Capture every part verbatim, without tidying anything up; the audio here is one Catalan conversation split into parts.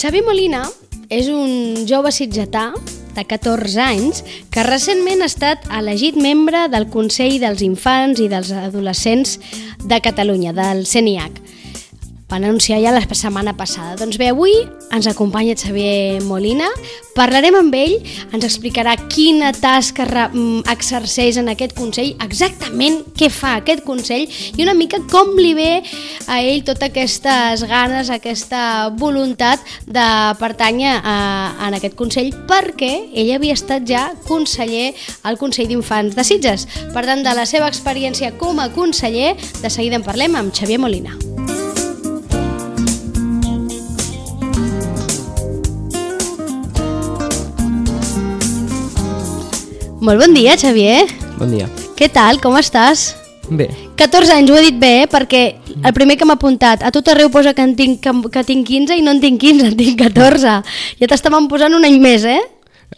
Xavier Molina és un jove sitgetà de catorze anys que recentment ha estat elegit membre del Consell dels Infants i dels Adolescents de Catalunya, del C N I A C. Van anunciar ja la setmana passada. Doncs bé, avui ens acompanya Xavier Molina, parlarem amb ell, ens explicarà quina tasca exerceix en aquest Consell, exactament què fa aquest Consell i una mica com li ve a ell totes aquestes ganes, aquesta voluntat de pertànyer a, a aquest Consell, perquè ell havia estat ja conseller al Consell d'Infants de Sitges. Per tant, de la seva experiència com a conseller, de seguida en parlem amb Xavier Molina. Molt bon dia, Xavier. Bon dia. Què tal? Com estàs? Bé. catorze anys, ho he dit bé, eh? Perquè el primer que m'ha apuntat, a tot arreu posa que, en tinc, que, que tinc quinze i no en tinc quinze, en tinc catorze. Ja t'estaven posant un any més, eh?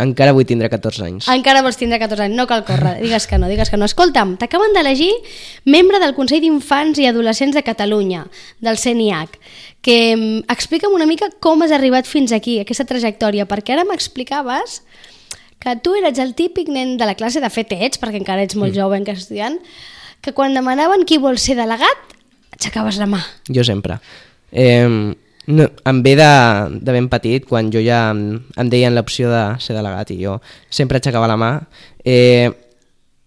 Encara vull tindre catorze anys. Encara vols tindre catorze anys, no cal córrer, digues que no, digues que no. Escolta'm, t'acaben d'elegir membre del Consell d'Infants i Adolescents de Catalunya, del C N I A C, que explica'm una mica com has arribat fins aquí, aquesta trajectòria, perquè ara m'explicaves que tu eres el típic nen de la classe, de fet ets, perquè encara ets molt mm. jove encara estudiant, que quan demanaven qui vol ser delegat, aixecaves la mà. Jo sempre. Eh, no, em ve de, de ben petit, quan jo ja em, em deien l'opció de ser delegat i jo sempre aixecava la mà. Eh,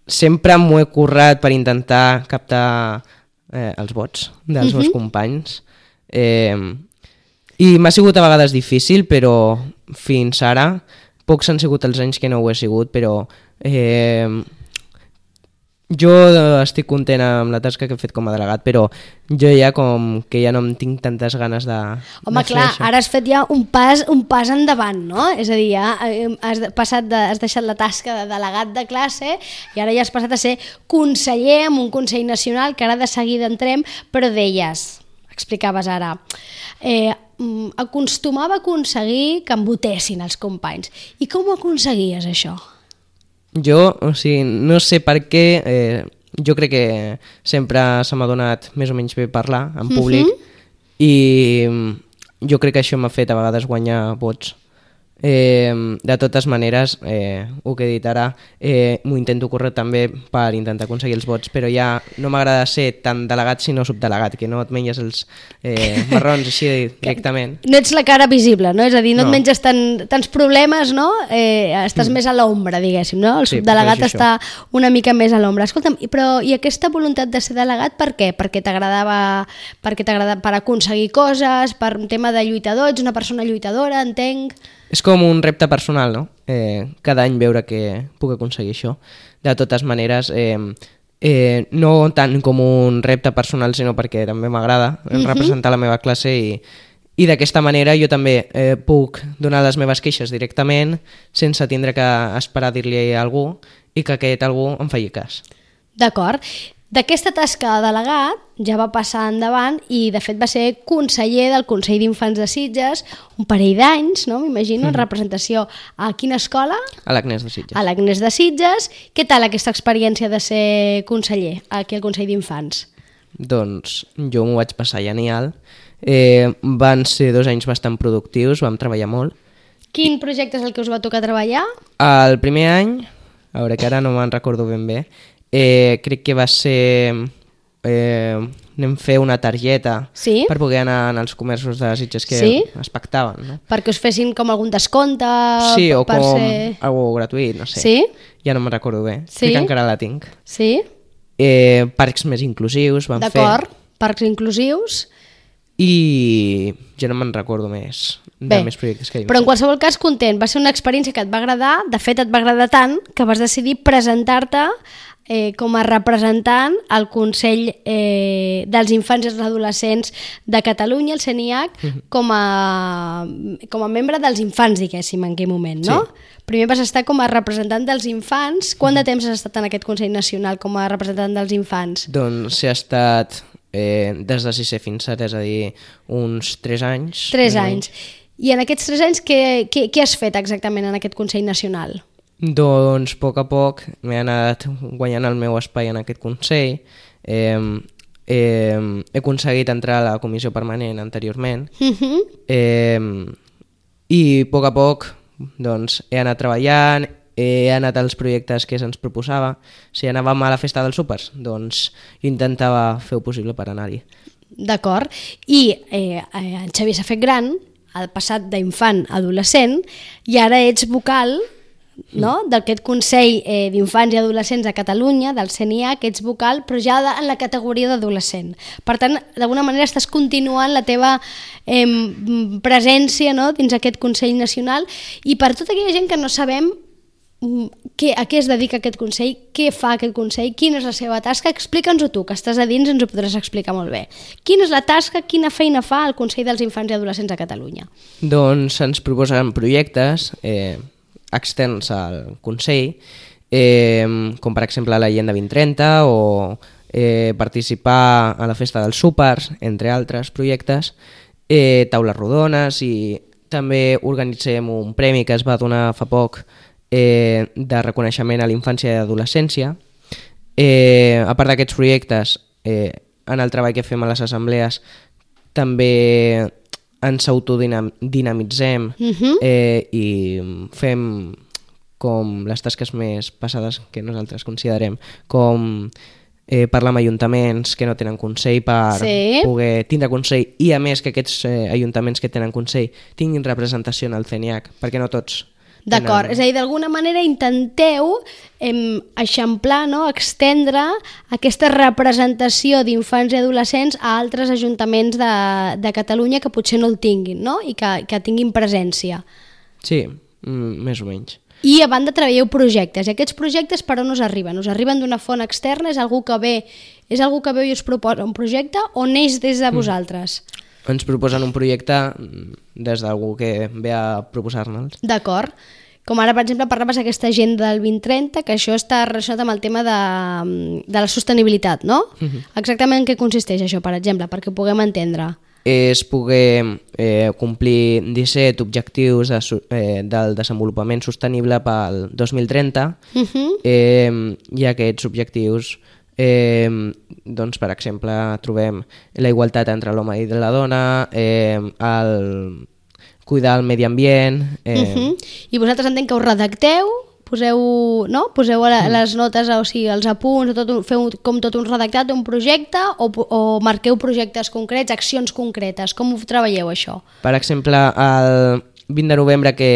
sempre m'ho he currat per intentar captar eh, els vots dels mm-hmm. meus companys. Eh, I m'ha sigut a vegades difícil, però fins ara pocs han sigut els anys que no ho he sigut, però eh, jo estic content amb la tasca que he fet com a delegat, però jo ja com que ja no em tinc tantes ganes de... Home, de clar, això. Ara has fet ja un pas, un pas endavant, no? És a dir, ja has, passat de, has deixat la tasca de delegat de classe i ara ja has passat a ser conseller en un Consell Nacional, que ara de seguida entrem, però deies, explicaves ara, eh, acostumava a aconseguir que em votessin els companys. I com ho aconseguies, això? Jo, o sigui, no sé per què, eh, jo crec que sempre se m'ha donat més o menys bé parlar en públic mm-hmm. i jo crec que això m'ha fet a vegades guanyar vots. Eh, de totes maneres, eh, el que he dit ara, eh, m'ho intento córrer també per intentar aconseguir els vots, però ja no m'agrada ser tant delegat sinó subdelegat, que no et menges els eh, marrons així directament. No ets la cara visible, no? És a dir, no, no. et menges tant, tants problemes, no? Eh, estàs mm. més a l'ombra, diguéssim, no? El subdelegat sí, està això. Una mica més a l'ombra. Escolta'm, però i aquesta voluntat de ser delegat, per què? Perquè t'agradava, perquè t'agradava per aconseguir coses, per un tema de lluitador, ets una persona lluitadora, entenc... És com un repte personal, no? Eh, cada any veure que puc aconseguir això. De totes maneres, eh, eh, no tant com un repte personal, sinó perquè també m'agrada mm-hmm. representar la meva classe i, i d'aquesta manera jo també eh, puc donar les meves queixes directament sense tindre que esperar a dir-li a algú i que aquest algú em faci cas. D'acord. D'aquesta tasca de delegat ja va passar endavant i de fet va ser conseller del Consell d'Infants de Sitges un parell d'anys, no? M'imagino, en representació a quina escola? A l'Agnès de Sitges. A l'Agnès de Sitges. Què tal aquesta experiència de ser conseller aquí al Consell d'Infants? Doncs jo m'ho vaig passar genial. Eh, van ser dos anys bastant productius, vam treballar molt. Quin projecte és el que us va tocar treballar? El primer any, a veure que ara no me'n recordo ben bé, Eh, crec que va ser eh, anem fer una targeta sí? per poder anar als comerços de Sitges que sí? es pactaven, no? Perquè us fessin com algun descompte sí, o per com ser... algo gratuït, no sé, sí? ja no me'n recordo bé, sí? crec que encara la tinc. Sí? Eh, parcs més inclusius van fer. D'acord, parcs inclusius. I ja no me'n recordo més de Bé, més projectes que hi però en qualsevol cas content, va ser una experiència que et va agradar, de fet et va agradar tant que vas decidir presentar-te eh, com a representant al Consell eh, dels Infants i els Adolescents de Catalunya, el C N I A C, mm-hmm. com, a, com a membre dels infants, diguéssim, en aquell moment, no? Sí. Primer vas estar com a representant dels infants. Quant de temps has estat en aquest Consell Nacional com a representant dels infants? Doncs he estat eh, des de sisè fins ara, és a dir, uns tres anys. Tres anys. I en aquests tres anys què, què, què has fet exactament en aquest Consell Nacional? Doncs a poc a poc m'he anat guanyant el meu espai en aquest Consell. Eh, eh, he aconseguit entrar a la comissió permanent anteriorment. Uh-huh. eh, I a poc a poc doncs, he anat treballant, he anat als projectes que se'ns proposava. Si anàvem a la festa dels súpers, doncs intentava fer el possible per anar-hi. D'acord. I eh, en Xavier s'ha fet gran, ha passat d'infant a adolescent, i ara ets vocal, no?, d'aquest Consell eh, d'Infants i Adolescents a Catalunya, del C N I A, que ets vocal, però ja de, en la categoria d'adolescent. Per tant, d'alguna manera estàs continuant la teva eh, presència, no?, dins aquest Consell Nacional, i per tota aquella gent que no sabem què, a què es dedica aquest Consell, què fa aquest Consell, quina és la seva tasca, explica'ns-ho tu, que estàs a dins, ens ho podràs explicar molt bé. Quina és la tasca, quina feina fa el Consell dels Infants i Adolescents a Catalunya? Doncs ens proposen projectes eh, externs al Consell, eh, com per exemple la Agenda vint trenta o eh, participar a la Festa dels Súpers, entre altres projectes, eh, taules rodones, i també organitzem un premi que es va donar fa poc eh, de reconeixement a la infància i adolescència. Eh, a part d'aquests projectes, eh, en el treball que fem a les assemblees també ens autodinamitzem Uh-huh. eh, i fem com les tasques més passades que nosaltres considerem, com eh, parlar amb ajuntaments que no tenen consell per Sí. poder tindre consell, i a més que aquests eh, ajuntaments que tenen consell tinguin representació en el C N I A C, perquè no tots D'acord, tenen. és a dir, d'alguna manera intenteu em, eixamplar, no?, extendre aquesta representació d'infants i adolescents a altres ajuntaments de, de Catalunya que potser no el tinguin, no?, i que, que tinguin presència. Sí, mm, més o menys. I a banda treballeu projectes, i aquests projectes per on us arriben? Us arriben d'una font externa? És algú que ve, és algú que ve i us proposa un projecte, o neix des de vosaltres? Ens proposen un projecte des d'algú que ve a proposar-nos. D'acord. Com ara, per exemple, parlaves d'aquesta agenda del vint trenta, que això està relacionat amb el tema de, de la sostenibilitat, no? Uh-huh. Exactament en què consisteix això, per exemple, perquè ho puguem entendre? És poder eh, complir disset objectius de, eh, del desenvolupament sostenible pel dos mil trenta, Uh-huh. eh, i aquests objectius, eh, doncs, per exemple, trobem la igualtat entre l'home i la dona, eh, el cuidar el medi ambient... Eh... Uh-huh. I vosaltres entenc que us redacteu, poseu, no? poseu a les notes, o sigui, els apunts, tot un, feu com tot un redactat d'un projecte, o, o marqueu projectes concrets, accions concretes. Com ho treballeu, això? Per exemple, el vint de novembre, que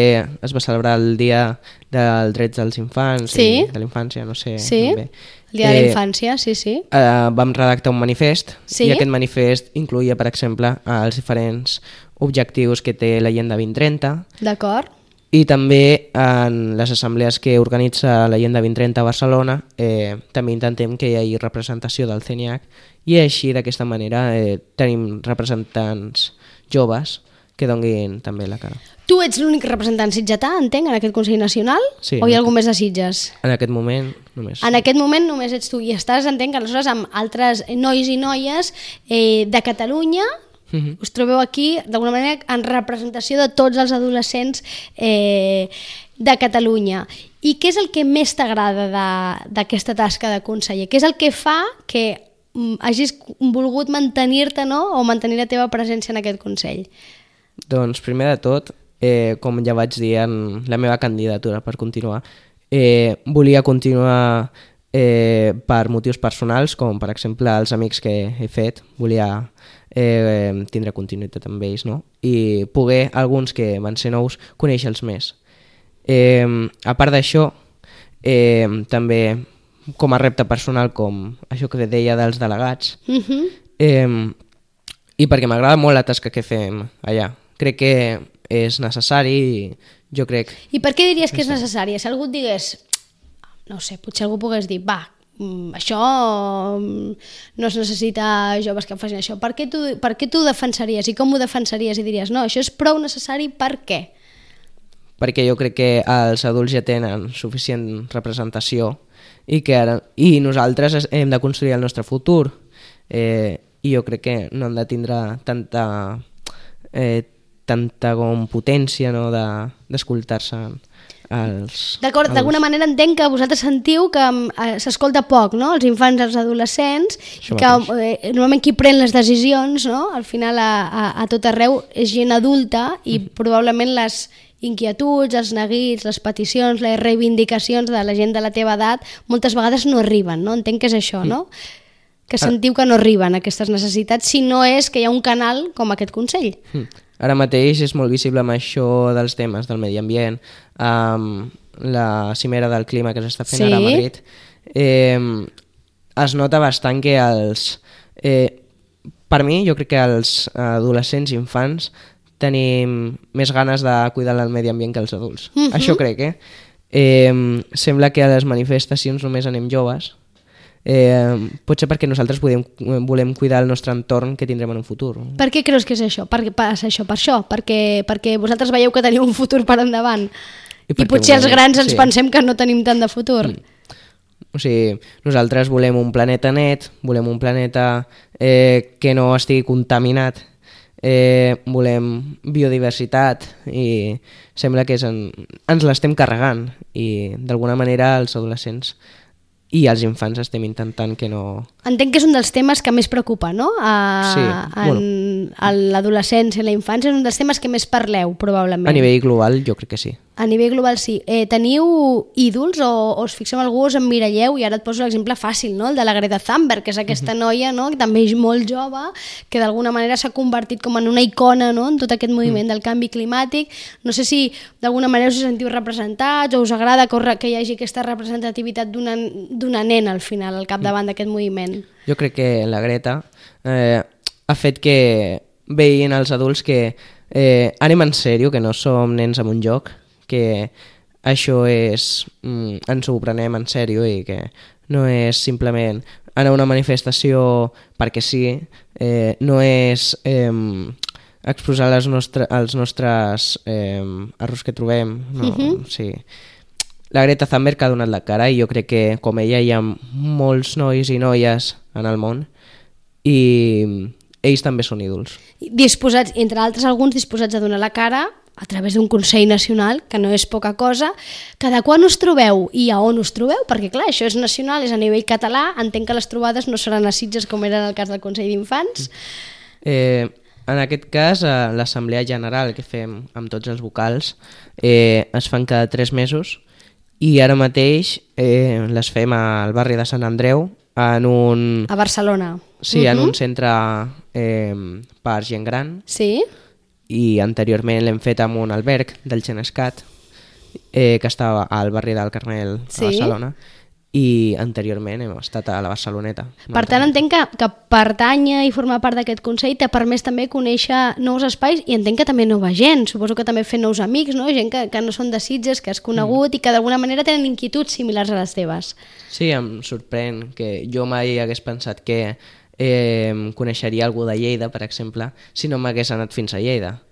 es va celebrar el Dia dels Drets dels Infants, Sí. i de la infància, no sé Sí, ben bé. el dia de la Eh, infància, sí, sí. eh, vam redactar un manifest, Sí. i aquest manifest incluïa, per exemple, els diferents objectius que té l'Agenda vint trenta, D'acord. i també en les assemblees que organitza l'Agenda vint trenta a Barcelona eh, també intentem que hi hagi representació del C N I A C, i així d'aquesta manera eh, tenim representants joves que donguin també la cara. Tu ets l'únic representant sitgetà, entenc, en aquest Consell Nacional? Sí, O hi ha en algú més de Sitges? En aquest moment només. En aquest moment només ets tu, i estàs, entenc, aleshores amb altres nois i noies eh, de Catalunya. Mhm. Us trobeu aquí, d'alguna manera, en representació de tots els adolescents eh, de Catalunya. I què és el que més t'agrada de- d'aquesta tasca de conseller? Què és el que fa que mm, hagis volgut mantenir-te, no?, o mantenir la teva presència en aquest Consell? Doncs primer de tot, eh, com ja vaig dir en la meva candidatura per continuar, eh, volia continuar eh, per motius personals, com per exemple els amics que he fet, volia eh, tindre continuïtat amb ells, no? I poder, alguns que van ser nous, conèixer-los més. Eh, a part d'això, eh, també com a repte personal, com això que deia dels delegats, Uh-huh. eh, i perquè m'agrada molt la tasca que fem allà. Crec que és necessari, i jo crec... I per què diries que és necessari? Si algú et digués, no ho sé, potser algú pogués dir, va, mm, això mm, no es necessita joves que facin això. Per què, tu, per què tu ho defensaries i com ho defensaries i diries, no, això és prou necessari, per què? Perquè jo crec que els adults ja tenen suficient representació i que ara, i nosaltres hem de construir el nostre futur, eh, i jo crec que no hem de tindre tanta... Eh, tanta com potència, no?, de- d'escoltar-se els... D'acord, d'alguna manera entenc que vosaltres sentiu que eh, s'escolta poc, no?, els infants i els adolescents, Això i que mateix. eh, normalment qui pren les decisions, no?, al final a, a, a tot arreu és gent adulta i probablement les inquietuds, els neguits, les peticions, les reivindicacions de la gent de la teva edat moltes vegades no arriben, no? Entenc que és això, no? Que sentiu que no arriben aquestes necessitats si no és que hi ha un canal com aquest Consell. Mm. Ara mateix és molt visible amb això dels temes del medi ambient, amb la cimera del clima que s'està fent Sí. ara a Madrid. Eh, es nota bastant que els... Eh, per mi, jo crec que els adolescents i infants tenim més ganes de cuidar el medi ambient que els adults. Mhm. Això crec, eh? eh? Sembla que a les manifestacions només anem joves. Eh, potser perquè nosaltres podem, volem cuidar el nostre entorn que tindrem en un futur. Per què creus que és això? Per què passa això? Per això? Perquè, perquè vosaltres veieu que teniu un futur per endavant i, perquè I potser els volem- grans ens sí. pensem que no tenim tant de futur. Mm. O sigui, nosaltres volem un planeta net, volem un planeta eh, que no estigui contaminat, eh, volem biodiversitat i sembla que és en, ens l'estem carregant i d'alguna manera els adolescents i els infants estem intentant que no... Entenc que és un dels temes que més preocupa, no? A, Sí, en, bueno. a l'adolescència i la infància és un dels temes que més parleu, probablement. A nivell global jo crec que sí. A nivell global sí. Eh, teniu ídols o, o us fixeu en algú, us emmiralleu, i ara et poso l'exemple fàcil, no? El de la Greta Thunberg, que és aquesta Mhm. noia, no?, que també és molt jove, que d'alguna manera s'ha convertit com en una icona, no?, en tot aquest moviment del canvi climàtic. No sé si d'alguna manera us sentiu representats o us agrada que, que hi hagi aquesta representativitat d'una d'una nena al final, al capdavant d'aquest moviment. Jo crec que la Greta eh, ha fet que veien els adults que eh, anem en sèrio, que no som nens amb un joc, que això és... Mm, ens ho prenem en sèrio i que no és simplement anar a una manifestació perquè sí, eh, no és eh, exposar les nostre, els nostres eh, errors que trobem, no, Mhm. sí. La Greta Thunberg ha donat la cara i jo crec que com ella hi ha molts nois i noies en el món i ells també són ídols. Disposats, entre altres alguns disposats a donar la cara a través d'un Consell Nacional, que no és poca cosa. Cada quan us trobeu i a on us trobeu? Perquè clar, això és nacional, és a nivell català, entenc que les trobades no seran a Sitges com era en el cas del Consell d'Infants. Eh, en aquest cas, a l'Assemblea General que fem amb tots els vocals eh, es fan cada tres mesos i ara mateix eh, les fem al barri de Sant Andreu en un, A Barcelona. sí, en Mhm. un centre eh, per gent gran Sí? i anteriorment l'hem fet amb un alberg del Genescat eh, que estava al barri del Carmel Sí. a Barcelona i anteriorment hem estat a la Barceloneta. Per tant, entenc que, que pertànyer i formar part d'aquest Consell t'ha permès també conèixer nous espais i entenc que també nova gent. Suposo que també fer nous amics, no? Gent que, que no són de Sitges, que has conegut mm. i que d'alguna manera tenen inquietuds similars a les teves. Sí, em sorprèn que jo mai hagués pensat que eh, coneixeria algú de Lleida, per exemple, si no m'hagués anat fins a Lleida.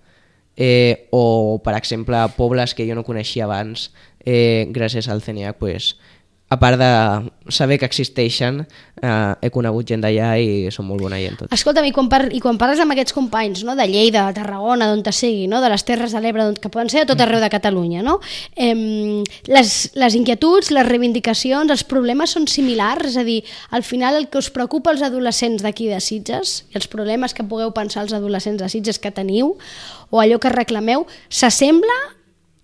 Eh, o, per exemple, pobles que jo no coneixia abans, eh, gràcies al C N I H, pues, a part de saber que existeixen, eh, he conegut gent d'allà i són molt bona gent tots. Escolta'm, i quan, par i quan parles amb aquests companys, no? De Lleida, de Tarragona, d'on te sigui, no? De les Terres de l'Ebre, que poden ser a tot arreu de Catalunya, no? Eh, les, les inquietuds, les reivindicacions, els problemes són similars? És a dir, al final el que us preocupa als adolescents d'aquí de Sitges, i els problemes que pugueu pensar els adolescents de Sitges que teniu, o allò que reclameu, s'assembla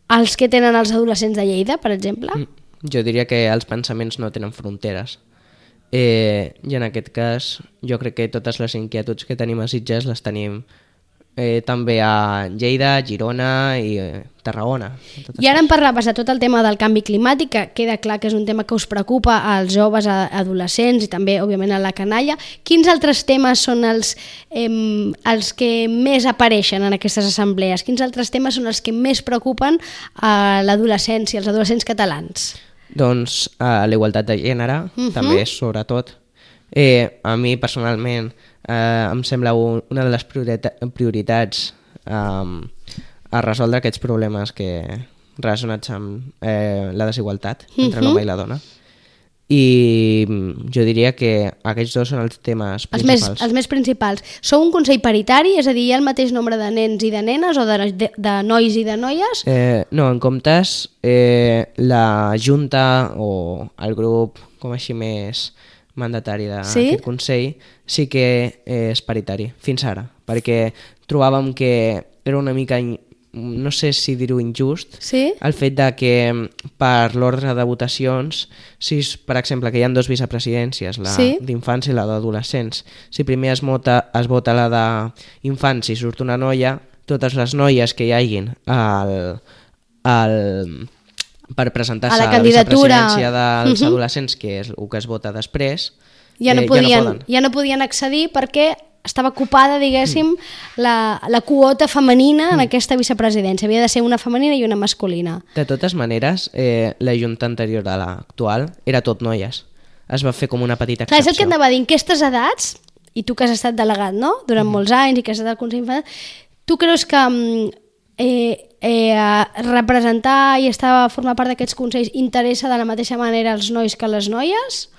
als que tenen els adolescents de Lleida, per exemple? Mm. Jo diria que els pensaments no tenen fronteres. Eh, I en aquest cas, jo crec que totes les inquietuds que tenim a Sitges les tenim eh, també a Lleida, Girona i eh, Tarragona. I ara em parlaves de tot el tema del canvi climàtic, que queda clar que és un tema que us preocupa als joves, a adolescents i també, òbviament, a la canalla. Quins altres temes són els, eh, els que més apareixen en aquestes assemblees? Quins altres temes són els que més preocupen a l'adolescència, als adolescents catalans? Doncs eh, la igualtat de gènere, Mhm. també, sobretot. Eh, a mi, personalment, eh, em sembla un, una de les priorita prioritats eh, a resoldre aquests problemes que relacionats amb eh, la desigualtat entre Mhm. l'home i la dona. i jo diria que aquests dos són els temes Els més, principals. els més principals. Sou un consell paritari, és a dir, hi ha el mateix nombre de nens i de nenes o de, de, de nois i de noies? Eh, no, en comptes, eh, la junta o el grup com així més mandatari d'aquest Sí? consell sí que eh, és paritari, fins ara, perquè trobàvem que era una mica, in- no sé si dir-ho injust, Sí? el fet de que per l'ordre de votacions, si és, per exemple, que hi ha dues vicepresidències, la Sí. d'infants i la d'adolescents, si primer es vota, es vota la d'infants i surt una noia, totes les noies que hi hagin al, al, per presentar-se A la a la candidatura. vicepresidència dels Mhm. adolescents, que és el que es vota després, Ja no, eh, podien, ja no poden. ja no podien accedir perquè estava ocupada, diguéssim, la, la quota femenina en aquesta vicepresidència. Havia de ser una femenina i una masculina. De totes maneres, eh, la junta anterior a l'actual era tot noies. Es va fer com una petita Clar, és excepció. el que anava a dir, en aquestes edats, i tu que has estat delegat, no?, durant Mm. molts anys i que has estat al Consell Infantil, tu creus que mm, eh, eh, representar i estar a formar part d'aquests consells interessa de la mateixa manera als nois que a les noies?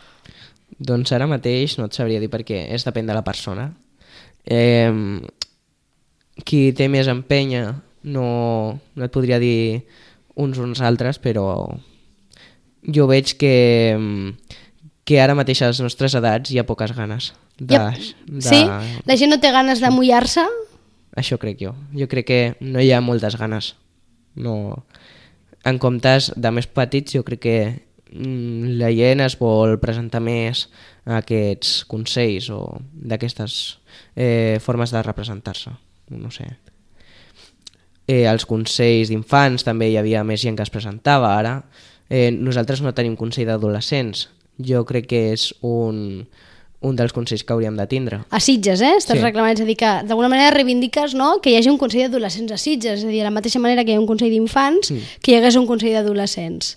Doncs ara mateix no et sabria dir perquè és depèn de la persona. Eh, qui té més empenya no, no et podria dir uns uns altres, però jo veig que, que ara mateix a les nostres edats hi ha poques ganes. De, Ja- de... Sí? La gent no té ganes de mullar-se? Això crec jo. Jo crec que no hi ha moltes ganes. No. En comptes de més petits, jo crec que mm, la gent es vol presentar més a aquests consells o d'aquestes eh, formes de representar-se. No sé. Eh, als consells d'infants també hi havia més gent que es presentava. Ara eh, nosaltres no tenim consell d'adolescents. Jo crec que és un, un dels consells que hauríem de tindre. A Sitges, eh? Estàs Sí. reclamant, és a dir, que d'alguna manera reivindiques, no?, que hi hagi un consell d'adolescents a Sitges, és a dir, de la mateixa manera que hi ha un consell d'infants, Mm. que hi hagués un consell d'adolescents.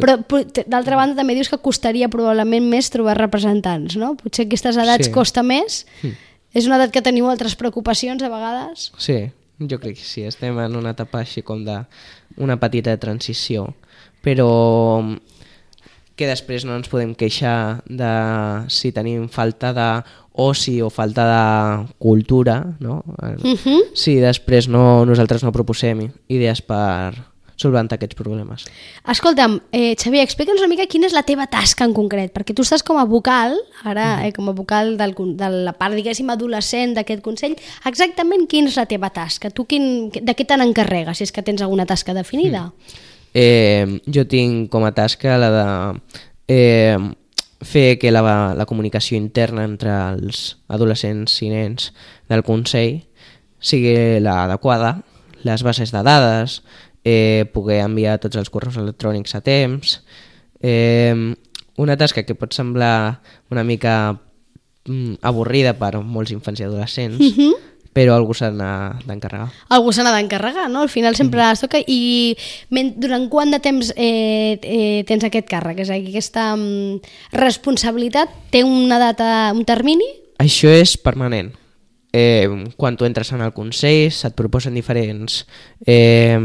Però, però, t- d'altra banda, també dius que costaria probablement més trobar representants, no? Potser aquestes edats Sí. costa més. Mm. És una edat que teniu altres preocupacions, a vegades? Sí, jo crec que sí, estem en una etapa així com de una petita transició, però que després no ens podem queixar de si tenim falta d'oci o falta de cultura, no? Mhm. Si després no, nosaltres no proposem idees per solventar aquests problemes. Escolta'm, eh, Xavier, explica'ns una mica quina és la teva tasca en concret, perquè tu estàs com a vocal, ara eh, com a vocal del, con- de la part, diguéssim, adolescent d'aquest Consell. Exactament quina és la teva tasca? Tu quin, de què te n'encarregues, si és que tens alguna tasca definida? Eh, jo tinc com a tasca la de eh, fer que la, la comunicació interna entre els adolescents i nens del Consell sigui l'adequada, les bases de dades, eh, poder enviar tots els correus electrònics a temps. Eh, una tasca que pot semblar una mica mm, avorrida per molts infants i adolescents, Mhm. però algú s'ha d'anar- d'encarregar. Algú se n'ha d'encarregar, no? Al final sempre Mm. es toca. I men- durant quant de temps eh, eh, tens aquest càrrec? És a dir, aquesta mm, responsabilitat té una data, un termini? Això és permanent. Eh, quan tu entres en el Consell se't proposen diferents eh,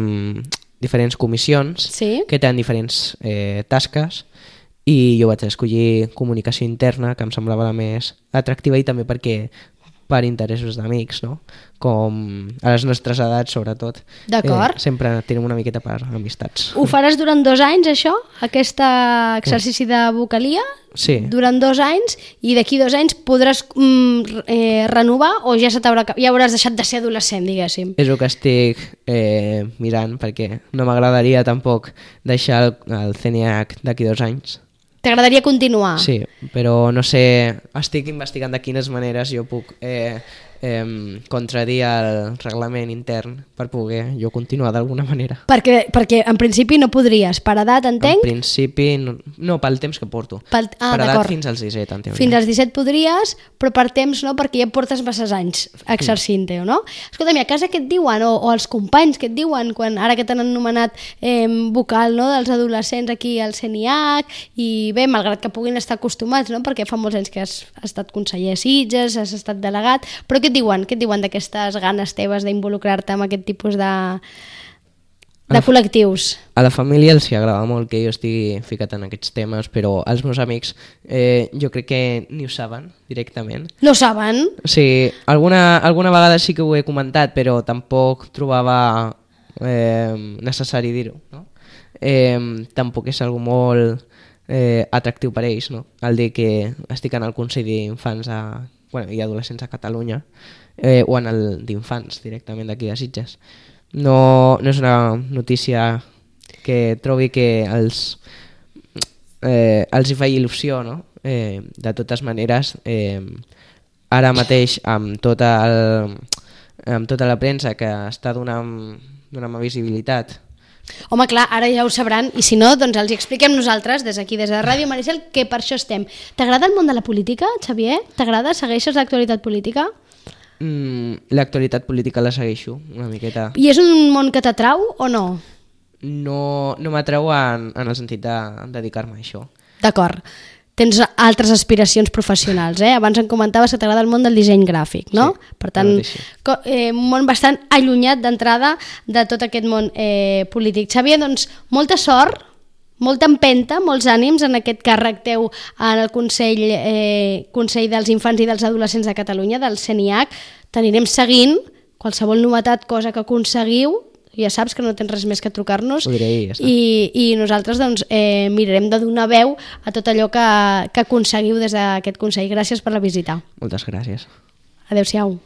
diferents comissions Sí. que tenen diferents eh, tasques i jo vaig escollir comunicació interna, que em semblava la més atractiva, i també perquè per interessos d'amics, no? Com a les nostres edats, sobretot. D'acord. Eh, sempre tenim una miqueta per amistats. Ho faràs durant dos anys, això? Aquest exercici de vocalia? Sí. Durant dos anys, i d'aquí dos anys podràs mm, eh, renovar o ja, se t'haurà, ja hauràs deixat de ser adolescent, diguéssim? És el que estic eh, mirant, perquè no m'agradaria tampoc deixar el, el C N H d'aquí dos anys. T'agradaria continuar? Sí, però no sé, estic investigant de quines maneres jo puc eh, eh, contradir el reglament intern per poder jo continuar d'alguna manera. Perquè, perquè en principi no podries, per edat, En entenc? principi, no, no pel temps que porto. Pel, ah, per edat d'acord. fins als disset, en teoria. Fins als disset podries, però per temps no, perquè ja portes masses anys exercint-ho, no? Escolta'm, i a casa què et diuen, o, o els companys què et diuen, quan ara que t'han anomenat eh, vocal, no?, dels adolescents aquí al C N I H, i bé, malgrat que puguin estar acostumats, no?, perquè fa molts anys que has, has estat conseller a Sitges, has estat delegat, però què et diuen? Què et diuen d'aquestes ganes teves d'involucrar-te amb aquest tipus de de col·lectius. A la família els hi agrada molt que jo estigui ficat en aquests temes, però els meus amics eh, jo crec que ni ho saben directament. No ho saben? Sí, alguna, alguna vegada sí que ho he comentat, però tampoc trobava eh, necessari dir-ho, no? Eh, tampoc és algo molt eh, atractiu per ells, no? El dir que estic en el Consell d'Infants a, bueno, i Adolescents a Catalunya eh, o en el d'infants directament d'aquí a Sitges. No, no és una notícia que trobi que els, eh, els hi fa il·lusió, no? Eh, de totes maneres, eh, ara mateix amb tota, el, amb tota la premsa que està donant, donant visibilitat. Home, clar, ara ja ho sabran, i si no, doncs els hi expliquem nosaltres, des d'aquí, des de Ràdio Maricel, que per això estem. T'agrada el món de la política, Xavier? T'agrada? Segueixes l'actualitat política? Mm, l'actualitat política la segueixo una miqueta. I és un món que t'atrau o no? No, no m'atreu en, en el sentit de dedicar-me a això. D'acord. Tens altres aspiracions professionals, eh? Abans em comentaves que t'agrada el món del disseny gràfic, no? Sí, per tant, eh, un món bastant allunyat d'entrada de tot aquest món eh, polític. Xavier, doncs, molta sort, molta empenta, molts ànims en aquest càrrec teu en el Consell, eh, Consell dels Infants i dels Adolescents de Catalunya, del C N I H. T'anirem seguint, qualsevol novetat, cosa que aconseguiu, ja saps que no tens res més que trucar-nos, dir, ja i, i nosaltres doncs, eh, mirarem de donar veu a tot allò que, que aconseguiu des d'aquest Consell. Gràcies per la visita. Moltes gràcies. Adéu-siau.